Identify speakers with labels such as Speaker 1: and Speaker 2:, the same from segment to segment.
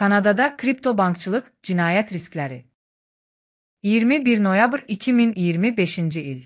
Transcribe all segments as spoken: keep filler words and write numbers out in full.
Speaker 1: Kanadada kripto bankçılıq cinayət riskləri. iyirmi bir noyabr iki min iyirmi beşinci il.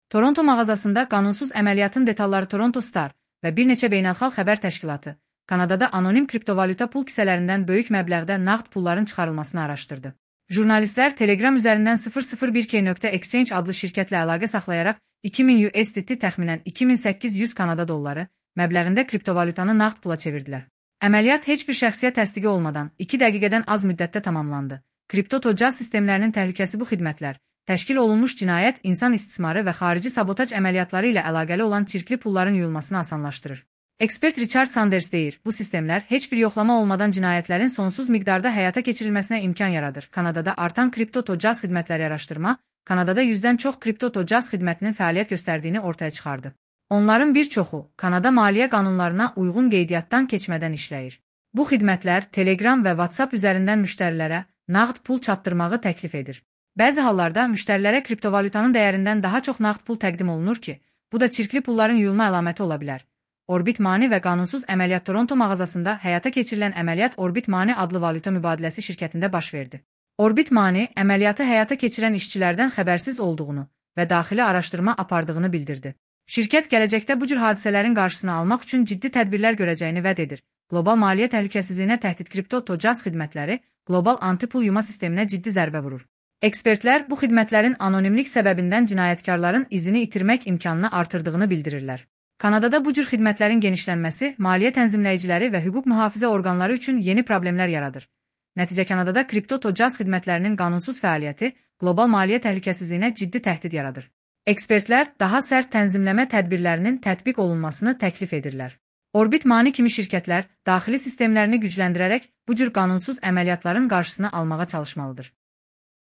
Speaker 1: Toronto mağazasında qanunsuz əməliyyatın detalları Toronto Star və bir neçə beynəlxalq xəbər təşkilatı Kanadada anonim kriptovalyuta pul kisələrindən böyük məbləğdə nağd pulların çıxarılmasını araşdırdı. Jurnalistlər Telegram üzərindən sıfır sıfır bir k nöqtə exchange adlı şirkətlə əlaqə saxlayaraq iki min U S D T təxminən iki min səkkiz yüz Kanada dolları məbləğində kriptovalyutanı nağd pula çevirdilər. Əməliyyat heç bir şəxsiyyət təsdiqi olmadan iki dəqiqədən az müddətdə tamamlandı. Kripto tocaz sistemlərinin təhlükəsi bu xidmətlər, təşkil olunmuş cinayət, insan istismarı və xarici sabotaj əməliyyatları ilə əlaqəli olan çirkli pulların yuyulmasını asanlaşdırır. Ekspert Richard Sanders deyir, bu sistemlər heç bir yoxlama olmadan cinayətlərin sonsuz miqdarda həyata keçirilməsinə imkan yaradır. Kanadada artan kripto tocaz xidmətləri araşdırma, Kanadada yüzdən çox kripto tocaz xidmətinin fəaliyyət göstərdiyini ortaya çıxardı. Onların bir çoxu Kanada maliyyə qanunlarına uyğun qeydiyyatdan keçmədən işləyir. Bu xidmətlər Telegram və WhatsApp üzərindən müştərilərə nağd pul çatdırmağı təklif edir. Bəzi hallarda müştərilərə kriptovalyutanın dəyərindən daha çox nağd pul təqdim olunur ki, bu da çirkli pulların yuyulma əlaməti ola bilər. Orbit Money və qanunsuz əməliyyat Toronto mağazasında həyata keçirilən əməliyyat Orbit Money adlı valyuta mübadiləsi şirkətində baş verdi. Orbit Money əməliyyatı həyata keçirən işçilərdən xəbərsiz olduğunu və daxili araşdırma apardığını bildirdi. Şirkət gələcəkdə bu cür hadisələrin qarşısını almaq üçün ciddi tədbirlər görəcəyini vəd edir. Qlobal maliyyə təhlükəsizliyinə təhdid kripto tocaz xidmətləri qlobal anti-pul yuma sisteminə ciddi zərbə vurur. Ekspertlər bu xidmətlərin anonimlik səbəbindən cinayətkarların izini itirmək imkanını artırdığını bildirirlər. Kanadada bu cür xidmətlərin genişlənməsi maliyyə tənzimləyiciləri və hüquq mühafizə orqanları üçün yeni problemlər yaradır. Nəticə Kanadada kripto tocaz xidmətlərinin qanunsuz fəaliyyəti qlobal maliyyə təhlükəsizliyinə ciddi təhdid yaradır. Ekspertlər daha sərt tənzimləmə tədbirlərinin tətbiq olunmasını təklif edirlər. Orbit Money kimi şirkətlər daxili sistemlərini gücləndirərək bu cür qanunsuz əməliyyatların qarşısını almağa çalışmalıdır.